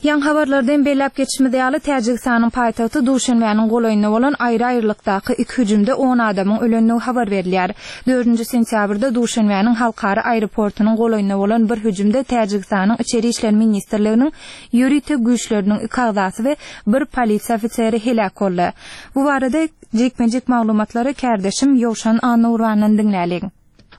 Ýaňy habarlarda hem belläp geçişimiz ýaly, Täjigistanyň paýtagty Duşenbäniň golaýynda bolan aýry-aýrylykdaky iki hüjümde on adamyň ölendigi habar berilýär. Dördünji sentýabrda Duşenbäniň halkara aeroportunyň golaýynda bolan bir hüjümde Täjigistanyň Içeri işler ministrliginiň ýörite güýçleriniň iki agzasy we bir polisiýa ofiseri heläk boldy. Bu barada jikme-jik maglumatlary kärdeşim Ýowşan Annagurbandan diňläliň.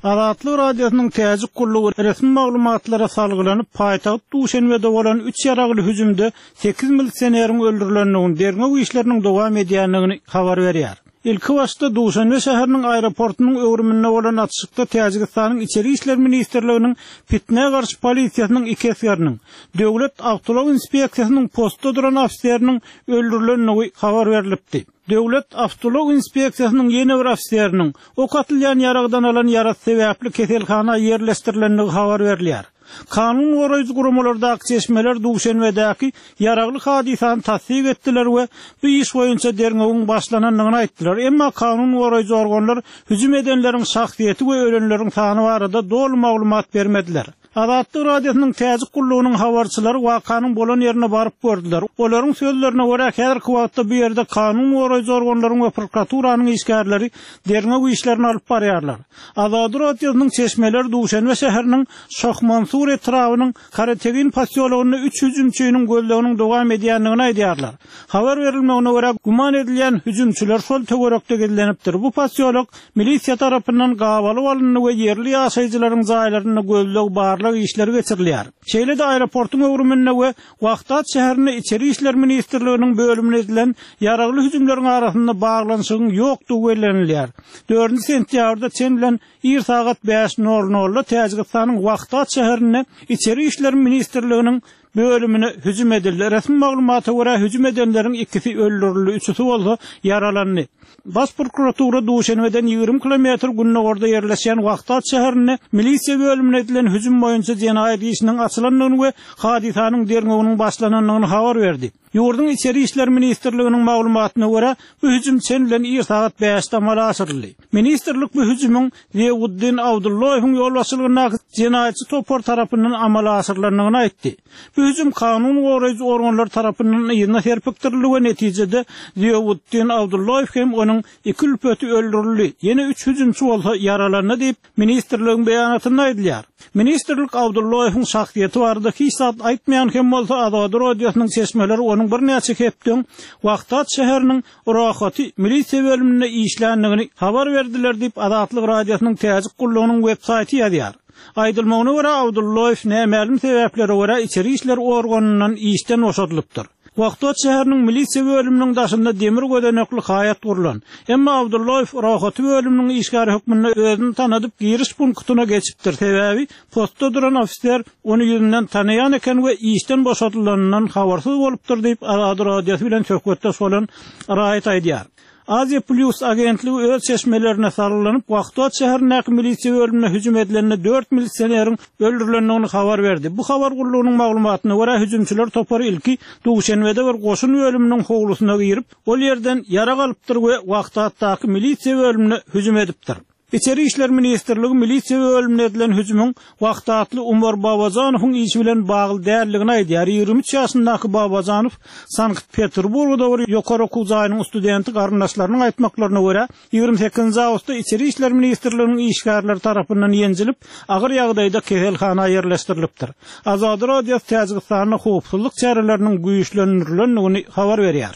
Azatlyk Radiosynyň Täjik gullugy resmi maglumatlara salgylanyp, paýtagt Duşenbede bolan üç ýaragly hüjümde sekiz milisioneriň öldürilendigini, derňew işleriniň dowam edýändigini habar berýär. Ilkibaşda Duşenbe şäheriniň aeroportunyň öwrüminde bolan atyşykda Täjigistanyň Içeri işler ministrliginiň pitnä garşy polisiýasynyň iki esgeriniň, Döwlet awtoulag inspeksiýasynyň postda duran ofiseriniň öldürilendigi habar berlipdi. Döwlet awtoulag inspeksiýasynyň ýene bir ofiseriniň ok atylýan ýaragdan alan ýarasy sebäpli keselhana ýerleşdirilendigi habar berilýär. Kanun goraýjy guramalardaky çeşmeler Duşenbedäki ýaragly hadysany tassyk etdiler we bu iş boýunça derňewiň başlanandygyny aýtdylar. Emma kanun goraýjy organlar hüjüm edenleriň şahsyýeti we ölenleriň sany barada doly maglumat bermediler. Azatlyk Radiosynyň Täjik gullugynyň habarçylary wakanyň bolan ýerine baryp gördüler. Olaryň sözlerine görä, häzirki wagtda bu ýerde kanun goraýjy organlaryň we prokuraturanyň işgärleri derňew işlerini alyp barýarlar. Azady Radiosynyň çeşmeleri Duşenbe şäheriniň Şohmansur etrabynyň Karategin posýologynda üç hüjümçiniň gözleginiň dowam edýändigini aýdýarlar. Habar berilmegine görä, güman edilýän hüjümçiler şol töwerekde gizlenipdir. Bu posýolok Milisiýa tarapyndan gabalyp alyndy we ýerli ýaşaýjylaryň jaýlarynda gözleg-barlag işleri geçirilýär. Şeýle-de aeroportuň öwrüminde we Wahdat şäherinde Içeri işler ministrliginiň bölümine edilen ýaragly hüjümleriň arasynda baglanyşygyň ýokdugy bellenilýär. Dördünji sentýabrda çen bilen ir sagat bäş nol nolda Täjigistanyň Wahdat şäherinde Içeri işler ministrliginiň Bölümine hüjüm edildi. Resmi maglumata görä, hüjüm edenleriň ikisi öldürildi, üçüsi bolsa ýaralandy. Baş prokuratura Duşenbeden 20 kilometr gündogarda ýerleşýän Wahdat şäherinde milisiýa bölümine edilen hüjüm boýunça jenaýat işiniň açylandygyny we hadysanyň derňewiniň başlanandygyny habar berdi. Ýurduň Içeri işler ministrliginiň maglumatyna görä, bu hüjüm çen bilen ir sagat bäşde amala aşyryldy. Ministrlik bu hüjümiň Ziýauddin Abdulloýewiň ýolbaşçylygyndaky jenaýatçy topar tarapyndan amala aşyrylandygyny aýtdy. Bu hüjüm kanun goraýjy organlar tarapyndan yzyna serpikdirildi we netijede Ziýauddin Abdulloýew hem onuň iki ülpeti öldürildi, ýene üç hüjümçi bolsa ýaralandy diýip, ministrligiň beýanatynda aýdylýar. Ministrlik Abdulloýewiň şahsyýeti barada hiç zat aýtmaýan hem bolsa, Azady Radiosynyň çeşmeleri onuň birnäçe hepde öň Wahdat şäheriniň Rohaty milisiýa bölüminde işländigini habar berdiler diýip, Azatlyk Radiosynyň Täjik gullugynyň web-saýty ýazýar. Aýdylmagyna görä, Abdulloýew nämälim sebäplere görä içeri işler organyndan işden boşadylypdyr. Wahdat şäheriniň milisiýa bölüminiň daşynda demir gözenekli haýat gurlan. Emma Abdulloýew Rohaty bölüminiň işgäri hökmünde özüni tanadyp giriş punktyna geçipdir, sebäbi postda duran ofiser Ony ýüzünden tanaýan eken we işden boşadylanyndan habarsyz bolupdyr diýip, Azady Radiosy bilen söhbetdeş bolan raýat aýdýar. Aziýa Plýus agentligi öz çeşmelerine salgylanyp, Wahdat şäherindäki milisiýa bölümine hüjüm edilende dört milisioneriň öldürilendigini habar berdi. Bu habar gullugynyň maglumatyna görä, hüjümçiler topary ilki Duşenbede bir goşun bölüminiň howlusyna girip, ol ýerden ýarag alypdyr we Wahdatdaky milisiýa bölümine hüjüm edipdir. Içeri işler ministrligi milisiýa bölümine edilen hüjümiň Wahdatly Umar Babajanowyň işi bilen bagly däldigini aýdýar. 23 ýaşyndaky Babajanow Sankt-Peterburgda bir ýokary okuw jaýynyň studenti garyndaşlarynyň aýtmaklaryna görä, 28-nji awgustda Içeri işler ministrliginiň işgärleri tarapyndan ýenjilip, agyr ýagdaýda keselhana ýerleşdirilipdir. Azady Radiosy Täjigistanda howpsuzlyk çäreleriniň güýçlendirilendigini habar berýär.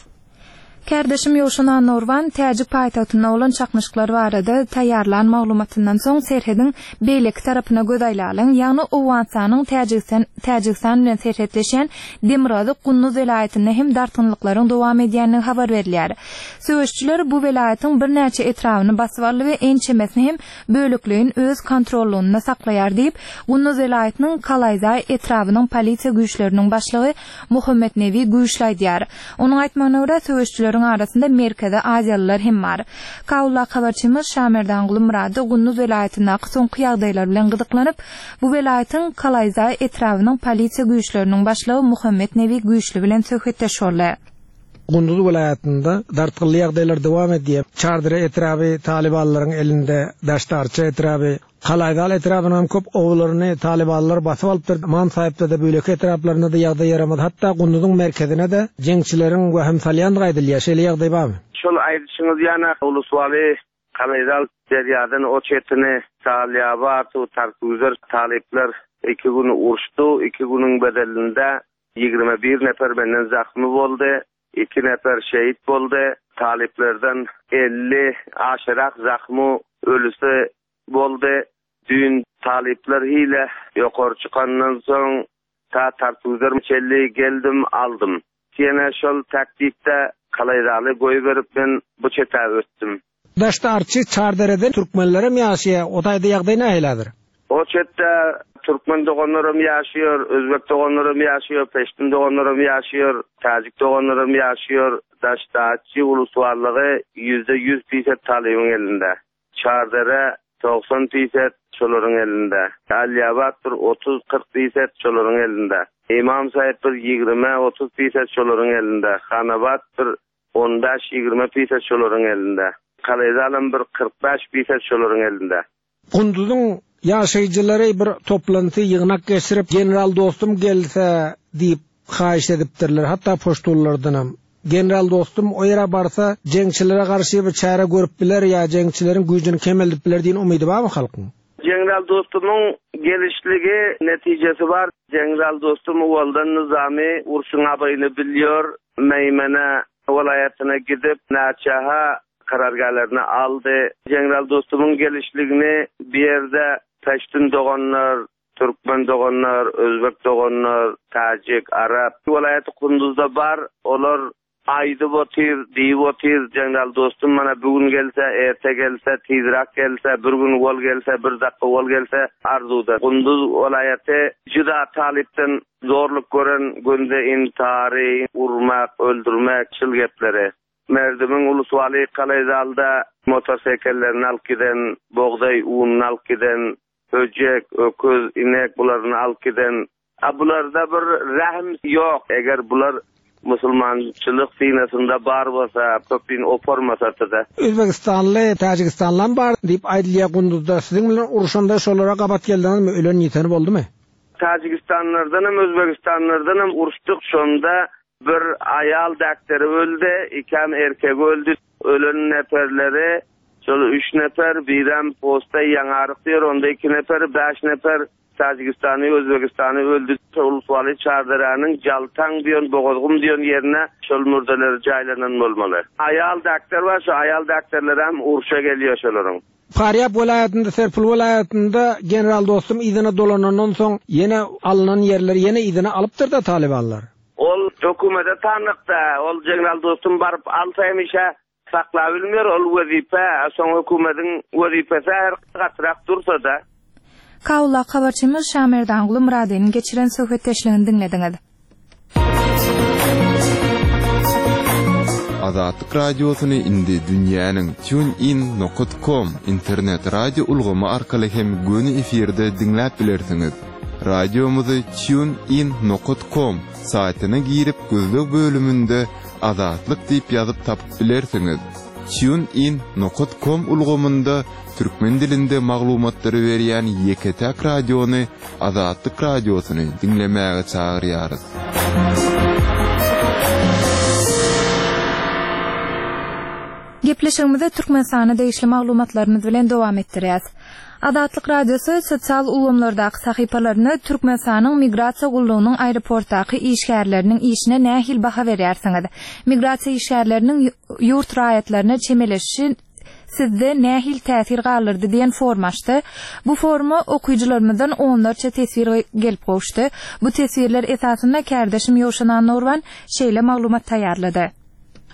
Kärdeşim Ýowşan Annagurban täjik paýtagtynda bolan çaknyşyklar barada taýýarlan maglumatyndan soň serhediň beýleki tarapyna göz aýlalyň, ýagny Owganystanyň Täjigistan Täjigistan bilen serhetleşýän demirgazyk Gunduz welaýatynda hem dartgynlyklaryň dowam edýändigi habar berilýär. Söweşijiler bu welaýatyň birnäçe etrabyny basyp aldy we ençemesini hem bölekleýin öz kontrollygynda saklaýar diýip, Gunduz welaýatynyň Kalaýzaý etrabynyň polisiýa güýçleriniň başlygy Muhammetnebi güýçli aýdýar. Onuň aýtmagyna görä, söweşijileriň arasynda Merkezi Aziýalylar hem bar. Kabuldaky habarçymyz Şamerdanguly Myrady Gunduz welaýatyndaky soňky ýagdaýlar bilen gyzyklanyp, bu welaýatyň Kalaýzaý etrabynyň polisiýa güýçleriniň başlygy Muhammetnebi Güýçli bilen söhbetdeş boldy. Gunduz welaýatynda dartgynly ýagdaýlar dowam edýär. Çardere etraby talybanlaryň elinde, Daşdarça etraby. Kalaýzal etrapynyň hem köp obalaryny talybanlar basyp alypdyr. Ymam Saýypda-da, beýleki etraplarynda-da ýagdaý ýaramaz. Hatda Gunduzyň merkezine-de jeňçileriň wehim salýandygy aýdylýar. Şeýle ýagdaý barmy? Şol aýdyşyňyz ýana Uluswaly Kalaýzal derýadan o çetini Salýabat, Tarkgüzer talyplar iki gün uruşdy. Iki günüň bedelinde 21 nefer menden zahmy boldy. Iki nefer şehit boldy. Talyplardan 50 aşyrak zahmy ölüsi boldy. Düýn talyplar hile ýokary çykandan soň ta Tartugzer çenli geldim, aldym. Ýene şol taktikde Kalaýzaly goýberip men bu çete ötdüm. Daşda Arçy, Çarderede türkmenlerem ýaşaýar, o taýda ýagdaý nähili häzir? O çetde türkmen doganlarym ýaşaýar, özbek doganlarym ýaşaýar, peştun doganlarym ýaşaýar, täjik doganlarym ýaşaýar. Daşda Arçy ulusbarlygy 100% pisat talybyň elinde. Çardere 90 pisat şolaryň elinde. Alýabat bir 30-40 pisat şolaryň elinde. Imam Saýyp bir 20-30 pisat şolaryň elinde. Hanabat bir 15-20 pisat şolaryň elinde. Kalaýzalam bir 45 pisat şolaryň elinde. Gunduzyň ýaşaýjylary bir toplanty, ýygnak geçirip, General Dostum gelse diýip haýyşt edipdirler, hatda poştunlardanam. General Dostum o ýere barsa, jeňçilere garşy bir çäre görüp biler ýa jeňçileriň güýjüni kemeldip biler diýen umydy barmy halkyň? General Dostumyň gelişligi netijesi bar. General Dostum owaldan nyzamy urşuň abaýyny bilýär. Meýmene welaýatyna gidip, näçe-ha karargählerini aldy. General Dostumyň gelişligini bu ýerde peştun doganlar, türkmen doganlar, özbek doganlar, täjik, arap welaýaty Kunduzda bar. Olar aýdyp otyr, diýip otyr, General Dostum mana bu gün gelse, erte gelse, tizräk gelse, bir gün owal gelse, bir dakika owal gelse arzuwda. Kunduz welaýaty juda talypdan zorluk gören günde intary, urmak, öldürmek şul gepleri. Merdimiň Uluswaly Kalaýzalda motosekellerini alyp giden, bogdaý ununy alyp giden, höjek, öküz, inek bularyny alyp giden. A bularda bir rähm ýok. Eger bular musulmançylyk synasynda bar bolsa, köpin opormasasy-da. Özbegistanly, Täjigistanlam bar diýip aýdylýar Gunduzda. Siziň bilen urşanda şolara gabat geldiňizmi? Ölen ýiteni boldumy? Täjigistanlardanam, Özbegistanlardanam uruşdyk. Şonda Bir aýal däkderi öldi, ikäm erkegi öldi. Ölen neperleri şol üç neper, birem posta ýaňaryk diýer, onda iki neper, bäş neper Täjigistany, Özbegistany öldi. Uluswaly Çarderäniň Jaltaň diýen, Bogazgum diýen ýerine şol mürdeleri jaýlanan bolmaly. Aýal däkder bar, şo aýal däkderlerem urşa gelýär şolaryň. Farýap welaýatynda, Serpil welaýatynda general Dostum yzyna dolanandan soň ýene alnan ýerleri ýene yzyna alypdyr-da talybanlar. Ol hökümete tanykda, ol general Dostum baryp alsa hemişe saklabilmer ol wezipe, soň hökümediň wezipesi her gatyrak dursa-da. Kabuldaky habarçymyz Şamerdanguly Myradynyň geçiren söhbetdeşligini diňlediňiz. Azatlyk Radiosyny indi dünýäniň TuneIn nokat com internet radio ulgamy arkaly hem göni efirde diňläp bilersiňiz. Radiomyzy TuneIn nokat com saýtyna girip gözleg bölüminde Azatlyk diýip ýazyp tapyp bilersiňiz. TuneIn nokat com ulgamynda türkmen dilinde maglumatlary berýän ýeke-täk radiony Azatlyk Radiosyny diňlemäge çagyrýarys. Gepleşigimizi Türkmenistana degişli maglumatlarymyz bilen dowam etdirýäs. Azatlyk Radiosy sosial ulgamlardaky sahypalarynda Türkmenistanyň Migrasiýa gullugynyň aeroportdaky işgärleriniň işine nähili baha berýärsiňiz? Migrasiýa işgärleriniň ýurt raýatlaryna çemeleşişi sizde nähili täsir galdyrdy diýen forma açdy. Bu foruma okyjylarymyzdan onlarça teswir gelip gowuşdy. Bu teswirler esasynda kärdeşim Ýowşan Annagurban şeýle maglumat taýýarlady.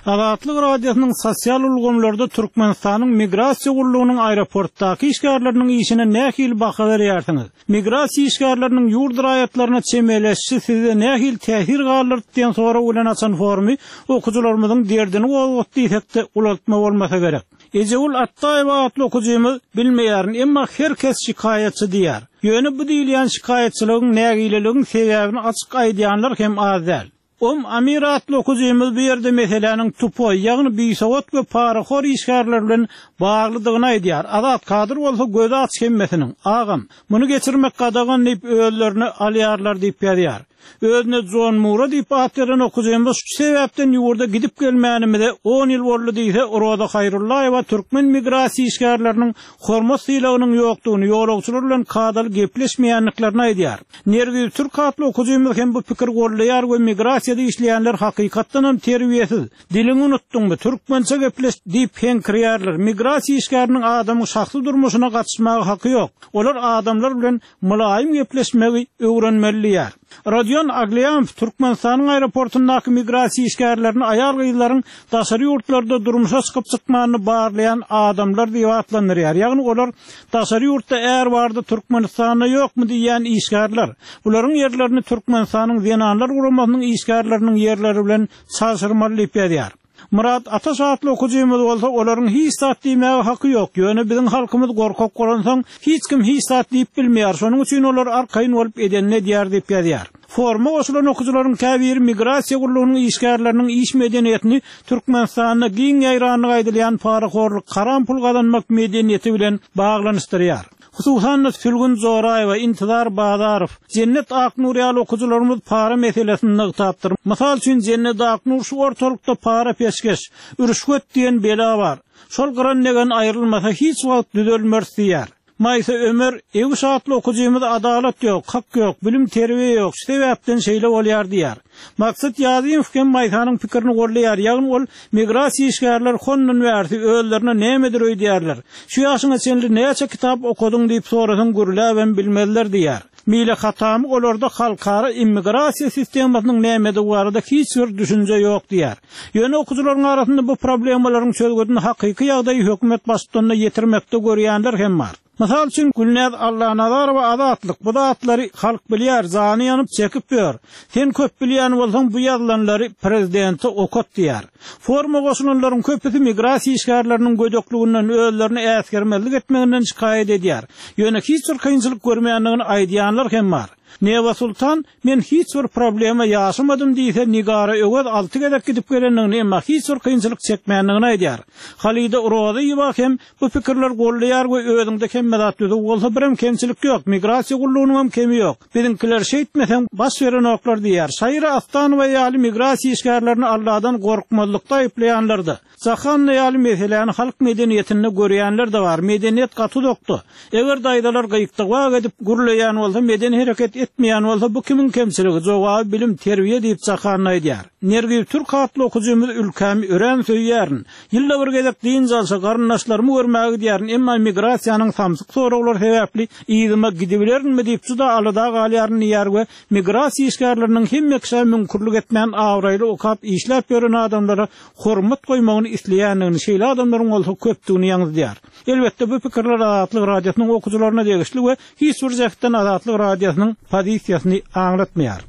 Azatlyk Radiosynyň sosial ulgamlarda Türkmenistanyň Migrasiýa gullugynyň aeroportdaky işgärleriniň işine nähili baha berýärsiňiz? Migrasiýa işgärleriniň ýurt raýatlaryna çemeleşişi sizde nähili täsir galdyrdy diýen sorag bilen açan forumy okyjylarymyzyň derdini gozgatdy diýsek-de ulaltma bolmasa gerek. Ejegül Atdaýewa atly okyjymyz Bilmeýärin, emma her kes şikaýatçy diýýär. Ýöne bu diýilýän şikaýatçylygyň, nägileligiň sebäbini açyk aýdýanlar hem az däl. Om Amir atly okyjymyz bu ýerde meseläniň tupoý, ýagny bisowat we parahor işgärler bilen Baglydygyny aýdýar. Azat Kadyr bolsa gözi aç hemmesiniň. Agam, muny geçirmek gadagan diýip özlerine alýarlar diýip ýazýar. Özüne Jon Mura diýip at beren okyjymyz şu sebäpden ýurda gidip gelmänimize on ýyl boldy diýse, Roza Haýrullaýewa türkmen migrasiýa işgärleriniň hormat-sylagynyň ýokdugyny, ýolagçylar bilen kadaly gepleşmeýändiklerini aýdýar. Nergiz Türk atly okyjymyz hem bu pikiri goldaýar we migrasiýada işleýänler hakykatdanam terbiýesiz, Diliňi unutdyňmy, türkmençe gepleş diýip heňkirýärler. Migrasiýa işgäriniň adamyň şahsy durmuşyna gatyşmaga haky ýok. Olar adamlar bilen mylaýym gepleşmegi öwrenmeli diýýär. Rodion Aglýamow Türkmenistanyň aeroportundaky migrasiýa işgärlerini aýal-gyzlaryň daşary ýurtlarda durmuşa çykyp-çykmanyny barlaýan adamlar diýip atlandyrýar. Ýagny olar daşary ýurtda är bardy, Türkmenistanda ýokmy diýýän işgärler. Bularyň ýerlerini Türkmenistanyň Zenanlar guramasynyň işgärleriniň ýerleri bilen Çalşyrmaly diýip ýazýar. Myrat Ataş atly okyjymyz bolsa olaryň hiç zat diýmäge haky ýok, ýöne biziň halkymyz gorkak bolansoň hiç kim hiç zat diýip bilmeýär, şonuň üçin olar arkaýyn bolup edenini edýär diýip ýazýar. Foruma goşulan okyjylaryň käbiri migrasiýa gullugynyň işgärleriniň iş medeniýetini Türkmenistanda giň ýaýrandygy aýdylýan parahorluk, haram pul gazanmak medeniýeti bilen baglanyşdyrýar. Hususan-da, Sülgün Joraýewa, Intizar Bazarow, Jennet Aknur ýaly okyjylarymyz para meselesini nygtapdyr. Mysal üçin, Jennet Aknur şu ortalykda para-peşgeş, rüşwet diýen bela bar. Şol gyran degen aýrylmasa hiç wagt düzelmeris diýýär. Maýsa Ömer, Ewiş atly okyjymyz adalat ýok, hak ýok, bilim-terbiýe ýok, şu sebäpden şeýle bolýar diýýär. Maksat Ýazymow hem Maýsanyň pikirini goldaýar, ýagny ol migrasiýa işgärleri hondan bärsi özlerine nämedir öýdýärler. Şu ýaşyňa çenli näçe kitap okadyň diýip sorasaň gürläbem bilmezler diýýär. Mile Hatamy olarda halkara immigrasiýa sistemasynyň nämedigi barada hiç bir düşünje ýok diýýär. Ýöne okyjylaryň arasynda bu problemalaryň çözgüdini hakyky ýagdaýy hökümet baştutanyna ýetirmekde görýänler hem bar. Mysal üçin, Gülnäz Allanazarowa Azatlyk, bu zatlary halk bilýär, jany ýanyp çekip ýör. Sen köp bilýän bolsaň bu ýazylanlary prezidente okat diýýär. Foruma goşulanlaryň köpüsi migrasiýa işgärleriniň gödekliginden, özlerini äsgermezlik etmeginden şikaýat edýär. Ýöne hiç bir kynçylyk görmeýändigini aýdýanlar hem bar. Neba Sultan, Men hiç bir problema ýaşamadym diýse, Nigara Öwez alty gezek gidip gelendigini, emma hiç bir kynçylyk çekmändigini aýdýar. Halida Rozyýewa hem bu pikirleri goldaýar we özüňde hemme zat düzüw bolsa birem kemçilik ýok, migrasiýa gullugynyňam kemi ýok. Biziňkiler şeýtmeseň baş berenoklar diýýär. Şaira Astanowa ýaly migrasiýa işgärlerini Alladan gorkmazlykda aýyplaýanlar-da. Jahanna ýaly meseläni halk medeniýetinde görýänler-de bar. Medeniýet gaty uzakda. Eger daýzalar gyýkdygwak edip gürleýän bolsa, medeni hereket etmeýän bolsa, bu kimiň kemçiligi? Jogaby bilim, terbiýe diýip Jahanna aýdýar. Nergiz Türk atly okyjymyz Ülkämi örän söýýärin. Ýylda bir gezek dynç alşa garyndaşlarymy görmäge gidýärin, emma migrasiýanyň samsyk soraglary sebäpli yzyma gidibilerinmi diýip juda alada galýaryn diýýär we migrasiýa işgärleriniň hemme kişä müňkürlik etmän abraýly okap işläp ýören adamlara hormat goýmagyny isleýändigini, şeýle adamlaryň bolsa köpdügini ýaňzydýar. Elbetde, bu pikirler Azatlyk Radiosynyň okyjylaryna degişli we hiç bir jähtden Azatlyk Radiosynyň pozisiýasyny aňlatmaýar.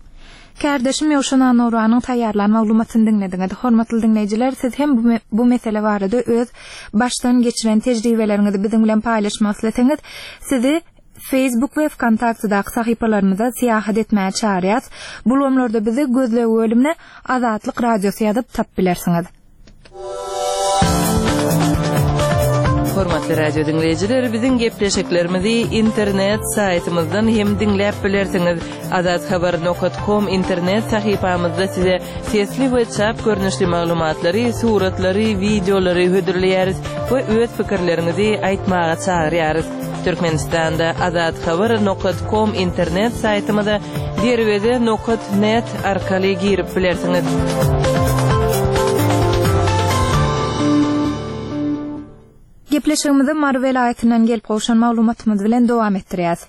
Kärdeşim Ýowşan Annuranyň taýýarlan maglumatyny diňlediňiz. Hormatly diňleýjiler, siz hem bu mesele barada öz başdan geçiren tejribeleriňizi biziň bilen paýlaşmak isleseňiz, sizi Facebook we Wkontaktedaky sahypalarymyza syýahat etmäge çagyrýas. Bu ulgamlarda bizi gözleg bölümine Azatlyk Radiosy ýazyp tapyp bilersiňiz. Hormatly radio diňleýjiler, biziň gepleşiklerimizi internet saýtymyzdan hem diňläp bilersiňiz. Azathabar nokat kom internet sahypamyzda size sesli we çap görnüşli maglumatlary, suratlary, wideolary hödürleýäris we öz pikirleriňizi aýtmaga çagyrýarys. Türkmenistanda Azathabar nokat kom internet saýtymyza derweze nokat net arkaly girip bilersiňiz. Gepleşigimizi Mary welaýatyndan gelip gowşan maglumatymyz bilen dowam etdirýäs.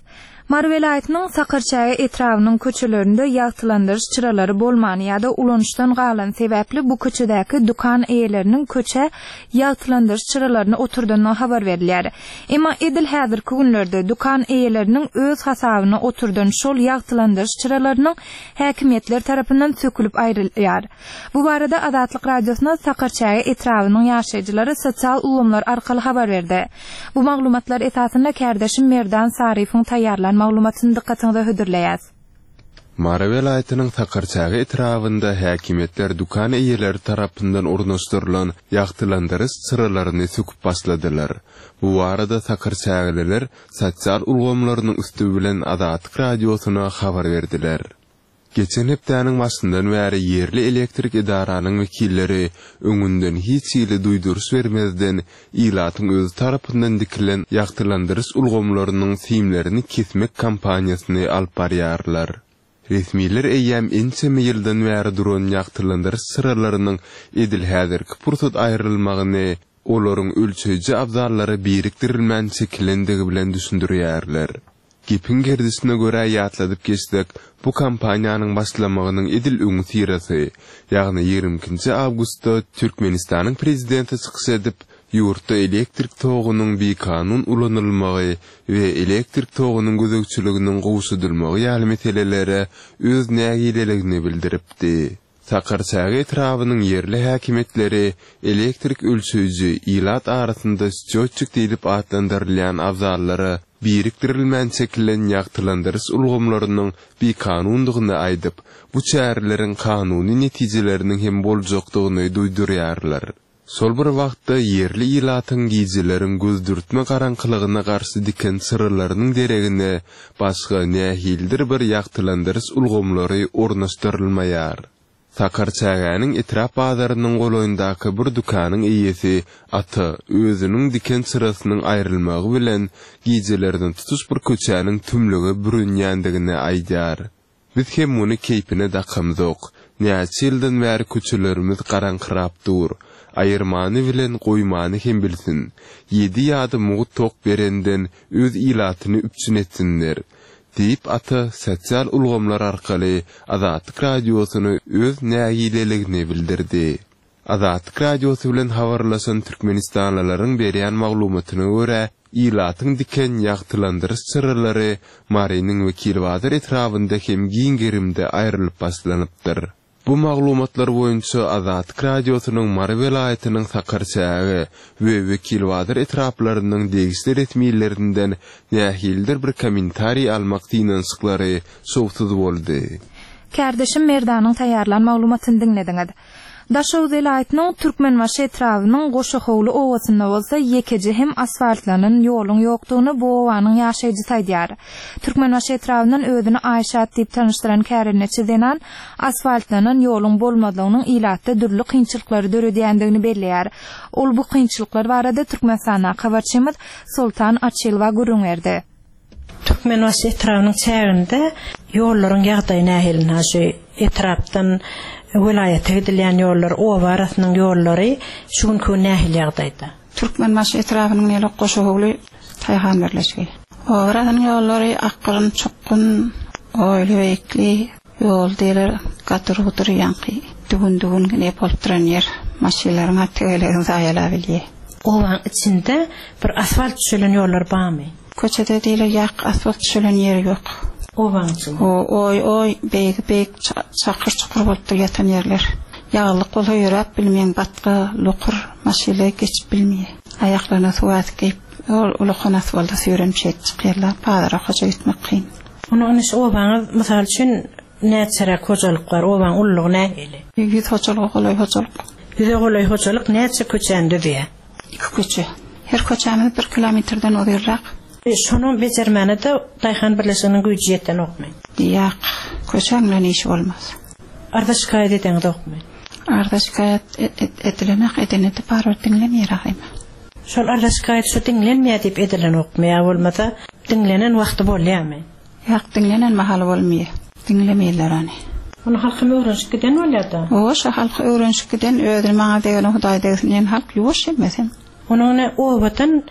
Mary welaýatynyň Sakarçäge etrabynyň köçelerinde ýagtylandyryş çyralary bolmany ýa-da ulanyşdan galany sebäpli bu köçedäki dükan eýeleriniň köçä ýagtylandyryş çyralaryny oturdandygy habar berilýär. Emma edil häzirki günlerde dükan eýeleriniň öz hasabyna oturdan şol ýagtylandyryş çyralarynyň häkimiýetler tarapyndan sökülip aýrylýar. Bu barada Azatlyk Radiosyna Sakarçäge etrabynyň ýaşaýjylary sosial ulgamlar arkaly habar berdi. Bu maglumatlar esasynda kärdeşim Merdan Saryýewiň taýýarlan maglumatyny dykgatyňyza hödürleýäs. Mary welaýatynyň Sakarçäge etrabynda häkimiýetler dükan eýeleri tarapyndan ornaşdyrylan ýagtylandyryş çyralaryny söküp başladylar. Bu barada sakarçägeliler sosial ulgamlarynyň üsti bilen Azatlyk Radiosyna habar berdiler. Geçen hepdäniň başyndan bäri ýerli elektrik edaranyň wekilleri öňünden hiç hili duýduryş bermezden ilatyň özi tarapyndan dikilen ýagtylandyryş ulgamlarynyň simlerini kesmek kampaniýasyny alyp barýarlar. Resmiler eýýäm ençeme ýyldan bäri duran ýagtylandyryş çyralarynyň edil häzirki pursat aýrylmagyny olaryň ölçeýji abzallara birikdirilmän çekilendigi bilen düşündirýärler. Gepiň gerdişine görä ýatladyp geçsek, bu kampaniýanyň başlamagynyň edil öňüsyrasy, ýagny ýigrimi ikinji awgustda Türkmenistanyň Prezidenti çykyş edip, ýurtda elektrik togunyň bikanun ulanylmagy we elektrik togunyň gözegçiliginiň gowşadylmagy ýaly meselelere öz nägileligini bildiripdi. Sakarçäge etrabynyň ýerli häkimiýetleri elektrik ölçeýji, ilat arasynda sçýotçik diýlip atlandyrylýan abzallara birikdirilmän çekilen ýagtylandyryş ulgamlarynyň bikanundygyny aýdyp, bu çäreleriň kanuny netijeleriniň hem boljakdygyny duýdurýarlar. Şol bir wagtda, ýerli ilatyň gijeleriň gözdürtme garaňkylygyna garşy diken çyralarynyň deregine başga nähilidir bir ýagtylandyryş ulgamlary ornaşdyrylmaýar. Sakarçägäniň etrap bazarynyň golaýyndaky bir dükanyň eýesi Ata özüniň diken çyrasynyň aýrylmagy bilen gijelerine tutuş bir köçäniň tümlüge bürünýändigini aýdýar. Biz hem muny keýpine dakamzok. Näçe ýyldan bäri köçelerimiz garaňkyrap dur. Aýyrmany bilen goýmany hem bilsin. Ýedi ýada mugt tok berenden öz ilatyny üpjün etsinler. Diýip Ata sosial ulgamlar arkaly Azatlyk Radiosyna öz nägileligini bildirdi. Azatlyk Radiosy bilen habarlaşan türkmenistanlylaryň berýän maglumatyna görä, ilatyň diken ýagtylandyryş çyralary Marynyň Wekilbazar etrabynda hem giň gerimde aýrylyp başlanypdyr. Bu maglumatlar boýunça Azatlyk Radiosynyň Mary welaýatynyň Sakarçäge we Wekilbazar etraplarynyň degişli resmilerinden nähilidir bir kommentariý almak synanyşyklary şowsuz boldy. Kärdeşim Merdanyň taýýarlan maglumatyny diňlediňiz. Daşoguz welaýatynyň Türkmenbaşy etrabynyň Goşahowly obasynda bolsa ýekeje hem asfaltlanan ýoluň ýokdugyny bu obanyň ýaşaýjysy aýdýar. Türkmenbaşy etrabyndan özüni Aýşat diýip tanyşdyran kärendeçi zenan asfaltlanan ýoluň bolmazlygynyň ilatda dürli kynçylyklary döredýändigini belleýär. Ol bu kynçylyklar barada Türkmenistandaky habarçymyz Soltan Açylowa gürrüň berdi. Türkmenbaşy etrabynyň çäginde ýollaryň ýagdaýy nähili? Ynha şu etrapdan welaýata gidilýän ýollar, oba arasynyň ýollary şu günki gün nähili ýagdaýda? Türkmenbaşy etrabynyň Ýelek Goşahowly daýhan birleşigi. Oba arasynyň ýollary akgyn, çukgun, oýly-beýikli ýol diýler, gadyr-gudyr ýaňky düwün-düwün ne bolup duran ýer, maşynlaryň-a tegelegini zaýalabilýär. Obaň içinde bir asfalt düşelen ýollar barmy? Köçede diýle ýak asfalt düşelen ýeri ýok. Obaň içinde. O oý oý beýigi beýik çakyr çukur bolupdyr ýatan ýerler. Ýaglyk bolsa ýöräp bilmeýäň batga, lokur maşyla geçip bilmeýär. Aýaklaryna suwasy geýip ol ulakan asfalda süýrenip şeýdip çykýarlar. Bazara hoja gitmek kyn. Onda indi şu obaňyz mysal üçin näçeräk hojalyk bar? Obaň ululygy nähili? Ýüz hojalyga golaý hojalyk. Ýüze golaý hojalyk näçe köçäni düzýär? Iki köçe. Her köçämiz bir kilometrden uzynrak. Şonam bejermäne-de daýhan birleşiginiň güýji ýetenokmy? Ýak. Köçäň bilen işi bolmaz. Arza-şikaýat edeňizokmy? Arza-şikaýat edilenak, edene-de barybir diňlemeýär ahyma. Şol arza-şikaýat şu diňlenmeýär diýip edilenokmy ýa bolmasa diňlenen wagty bolýarmy? Ýak, diňlenen mahaly bolmaýar. Diňlemeýärler ony. Ony halkam öwrenişip giden bolýar-da. Hawa, şo halky öwrenişip giden, özüni maňa degene Hudaý degsin diýen halk ýuwaş hemmesem. Onuň ine obadan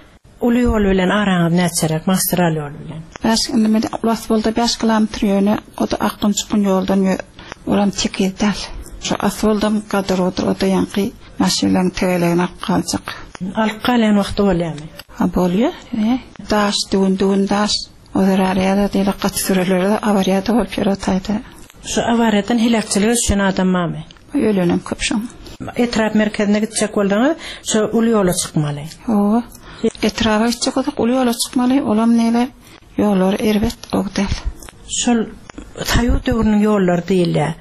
uly ýol bilen araňyz näçeräk, magistral ýol bilen? Bäş, indi men asfalda bäş kilometr ýöne o-da akgyn-çukgyn ýoldan ýö, olam tekiz däl. Şo asfaldam gadyr-gudyr, o-da ýaňky maşynlaryň tegelegini alyp galjak. Alyp galýan wagty bolýarmy? Ha, bolýar, e. Daş, düwün-düwün daş. O zerarly ýa-da diýlek gaty sürelerde awariýada bolup ýör o taýda. Şu awariýadan heläkçilige düşen adam barmy? Ölenem köp şoň. Etrap merkezine gitjek bolsaňyz şu uly ýola çykmaly. Hawa. Etraba gitjek bolsak uly ýola çykmaly, olam neýle ýollary erbet gowy däl. Şol. Soýuz döwrüniň ýollary diýilýär.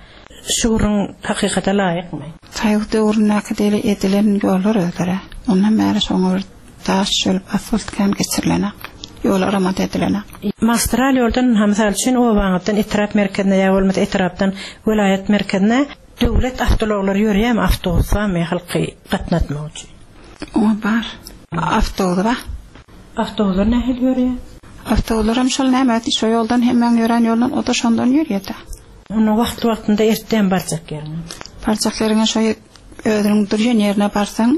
Şu gürrüň hakykata laýykmy? Soýuz döwründäki deli edilen ýollar özleri. Ondan bäri şoňa bir daş düşelip asfalt kän geçirilenak. Ýola remont edilenak. Magistral ýoldan ynha mysal üçin obaňyzdan etrap merkezine ýa bolmasa etrapdan welaýat merkezine döwlet awtoulaglary ýörýärmi awtobus barmy halky gatnatmak üçin? Oňa bar. Awtobus bar. Awtobuslar nähili ýörýär? Awtobuslaram şol näme şo ýoldan hemmäň ýörän ýolundan o-da şondan ýörýär-dä. Onda wagtly-wagtynda ertden barjak ýeriňe. Barjak ýeriňe şo özüniň durýan ýerine barsaň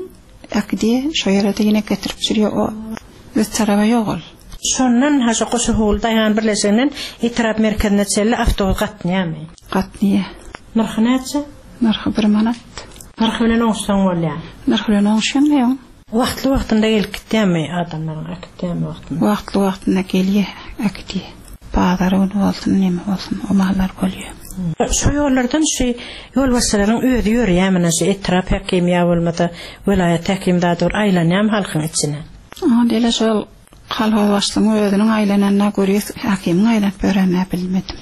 äkidýär, şo ýere-de ýene getirip düşürýär o öz taraba ýok ol. Şondan ha şo Goşahowly daýhan birleşiginden etrap merkezine çenli awtobus gatnaýarmy? Gatnaýar. Nyrhy näçe? Nyrhy bir manat. Nyrhy bilen oňuşsaň bolýar. Nyrhy bilen oňuşýaň näme? Wagtly-wagtynda gelip gitýärmi adamlaryň, äkitýärmi wagtynda? Wagtly-wagtynda gelýär, äkidýär. Bazar güni bolsun, neme bolsun, o mallar bolýar. Şo ýollardan şu ýolbaşçylaryň özi ýörýärmi, ine şu etrap häkimi ýa bolmasa welaýat häkimi zady bir aýlanýarmy halkyň içine? Oňa diýle şol kolhoz başlygyň özüniň aýlananyna görýäs, häkimiň aýlanyp ýörenine bilmedim.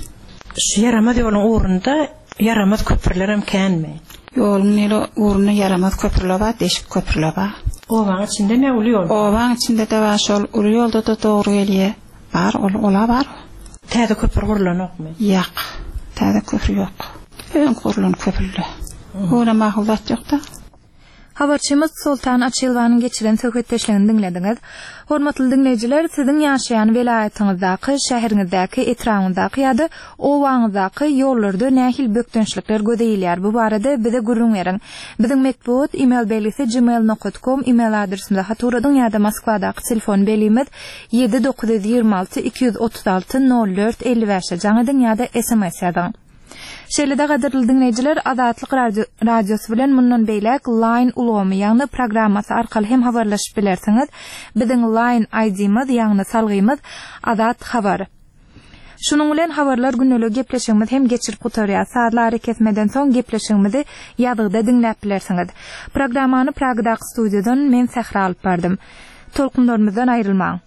Şu ýaramaz ýoluň ugrunda Ýaramaz köprülerem känmi? Ýoluň nili ugrunda ýaramaz köprüler bar, deşik köprüler bar. Obaň içindemi ýa uly ýolda? Obaň içinde-de bar, şol uly ýolda-da dogry gelýär. Bar, ol, ol-a bar. Täze köpri gurlanokmy? Ýak, täze köpri ýok. Öňki gurlan köprüler. Öňem makul zat ýok-da. Habarçymyz Soltan Açylowanyň geçiren söhbetdeşligini diňlediňiz. Hormatly diňleýjiler, siziň ýaşaýan welaýatyňyzdaky, şäheriňizdäki, etrabyňyzdaky ýa-da obaňyzdaky ýollarda nähili bökdençlikler göze ilýär? Bu barada bize gürrüň beriň. Biziň metbugat email belgisi gmail nokat kom email adresimize hat ugradyň ýa-da Moskwadaky telefon belgimiz 7 926 236 04 55-e jaň ediň ýa-da sms ýazyň. Şeýle-de gadyrly diňleýjiler Azatlyk Radiosy bilen mundan beýläk Line ulgamy, ýagny programmasy arkaly hem habarlaşyp bilersiňiz. Biziň Line ID-miz, ýagny salgymyz Azat Habar. Şunuň bilen Habarlar gündeligi gepleşigimiz hem geçirip gutarýar. Sazly arakesmeden soň gepleşigimizi ýazgyda diňläp bilersiňiz. Programmany Pragadaky studiýadan men Sähra alyp bardym. Tolkunlarymyzdan aýrylmaň.